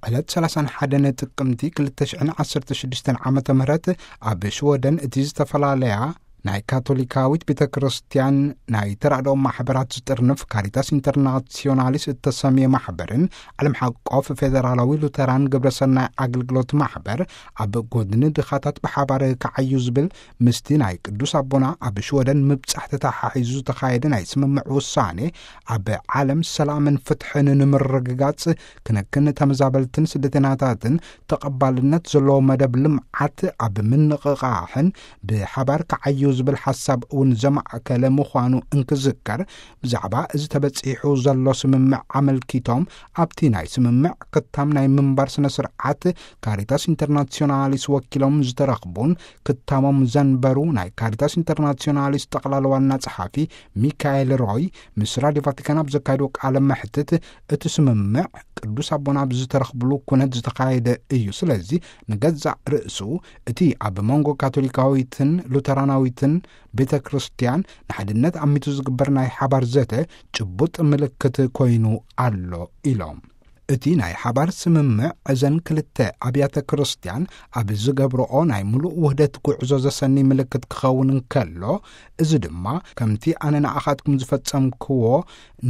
ዕለት ሰላሳን ሓደን ጥቅምቲ ክልተ ሽሕን ዓሰርተ ሽዱሽተን ዓመተ ምህረት ኣብ ሽወደን እቲ ዝተፈላለያ ናይ ካቶሊካዊት ቤተ ክርስቲያን ናይ ተራድኦ ማሕበራት ዝጥርንፍ ካሪታስ ኢንተርናሲዮናሊስ እተሰምየ ማሕበርን ዓለም ሓቆፍ ፌደራላዊ ሉተራን ግብረሰናይ ኣገልግሎት ማሕበር ኣብ ጎድኒ ድኻታት ብሓባር ክዓዩ ዝብል ምስቲ ናይ ቅዱስ ኣቦና ኣብ ሽወደን ምብጻሕ ተተሓሒዙ ዝተኻየደ ናይ ስምምዕ ውሳኔ ኣብ ዓለም ሰላምን ፍትሕን ንምርግጋጽ ክነክን ተመዛበልትን ስደተኛታትን ተቐባልነት ዘለዎ መደብ ልምዓት ኣብ ምንቕቓሕን ብሓባር ክዓዩ ዝብል ሓሳብ እውን ዘማእከለ ምዃኑ እንክዝከር፣ ብዛዕባ እዚ ተበጺሑ ዘሎ ስምምዕ ኣመልኪቶም ኣብቲ ናይ ስምምዕ ክታም ናይ ምንባር ስነ ስርዓት ካሪታስ ኢንተርናሲዮናሊስ ወኪሎም ዝተረኽቡን ክታሞም ዘንበሩ ናይ ካሪታስ ኢንተርናሲዮናሊስ ጠቕላላ ዋና ጸሓፊ ሚካኤል ሮይ ምስ ራድዮ ቫቲካን ኣብ ዘካየድዎ ቃለ መሕትት፣ እቲ ስምምዕ ቅዱስ ኣቦና ኣብ ዝተረኽብሉ ኩነት ዝተኻየደ እዩ። ስለዚ ንገዛእ ርእሱ እቲ ኣብ መንጎ ካቶሊካዊትን ሉተራናዊትን ቤተ ክርስቲያን ንሓድነት ኣሚቱ ዝግበር ናይ ሓባር ዘተ ጭቡጥ ምልክት ኮይኑ ኣሎ ኢሎም። እቲ ናይ ሓባር ስምምዕ እዘን ክልተ ኣብያተ ክርስቲያን ኣብ ዝገብርኦ ናይ ምሉእ ውህደት ጉዕዞ ዘሰኒ ምልክት ክኸውን እንከሎ፣ እዚ ድማ ከምቲ ኣነ ንኣኻትኩም ዝፈጸምክዎ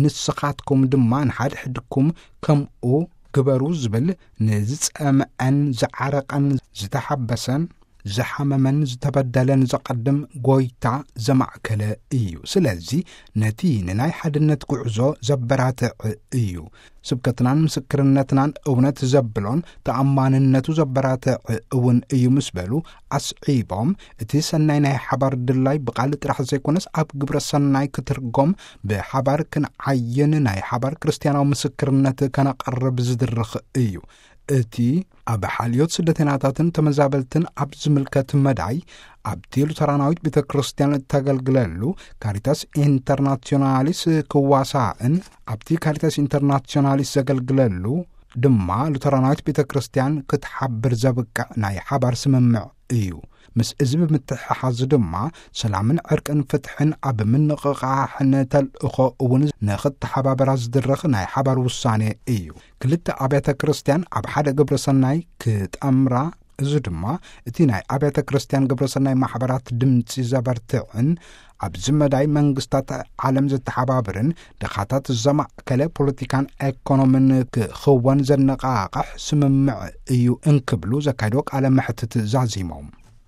ንስኻትኩም ድማ ንሓድሕድኩም ከምኡ ግበሩ ዝብል ንዝጸምዐን ዝዓረቐን ዝተሓበሰን ዝሓመመን ዝተበደለን ዘቐድም ጎይታ ዘማእከለ እዩ። ስለዚ ነቲ ንናይ ሓድነት ጉዕዞ ዘበራትዕ እዩ። ስብከትናን ምስክርነትናን እውነት ዘብሎን ተኣማንነቱ ዘበራትዕ እውን እዩ ምስ በሉ ኣስዒቦም፣ እቲ ሰናይ ናይ ሓባር ድላይ ብቓል ጥራሕ ዘይኮነስ ኣብ ግብረ ሰናይ ክትርጎም ብሓባር ክንዓይን ናይ ሓባር ክርስትያናዊ ምስክርነት ከነቐርብ ዝድርኽ እዩ። እቲ ኣብ ሓልዮት ስደተኛታትን ተመዛበልትን ኣብ ዝምልከት መዳይ ኣብቲ ሉተራናዊት ቤተ ክርስቲያን እተገልግለሉ ካሪታስ ኢንተርናሲዮናሊስ ክዋሳእን ኣብቲ ካሪታስ ኢንተርናሲዮናሊስ ዘገልግለሉ ድማ ሉተራናዊት ቤተ ክርስቲያን ክትሓብር ዘብቅዕ ናይ ሓባር ስምምዕ እዩ። ምስ እዚ ብምትሕሓዝ ድማ ሰላምን ዕርቅን ፍትሕን ኣብ ምንቕቓሕን ተልእኾ እውን ንኽተሓባበራ ዝድርኽ ናይ ሓባር ውሳኔ እዩ። ክልተ ኣብያተ ክርስቲያን ኣብ ሓደ ግብረ ሰናይ ክጠምራ፣ እዚ ድማ እቲ ናይ ኣብያተ ክርስቲያን ግብረ ሰናይ ማሕበራት ድምፂ ዘበርትዕን ኣብዚ መዳይ መንግስታት ዓለም ዘተሓባብርን ድኻታት ዘማእከለ ፖለቲካን ኤኮኖምን ክኽወን ዘነቓቕሕ ስምምዕ እዩ እንክብሉ ዘካየድዎ ቃለ መሕትት ዛዚሞም።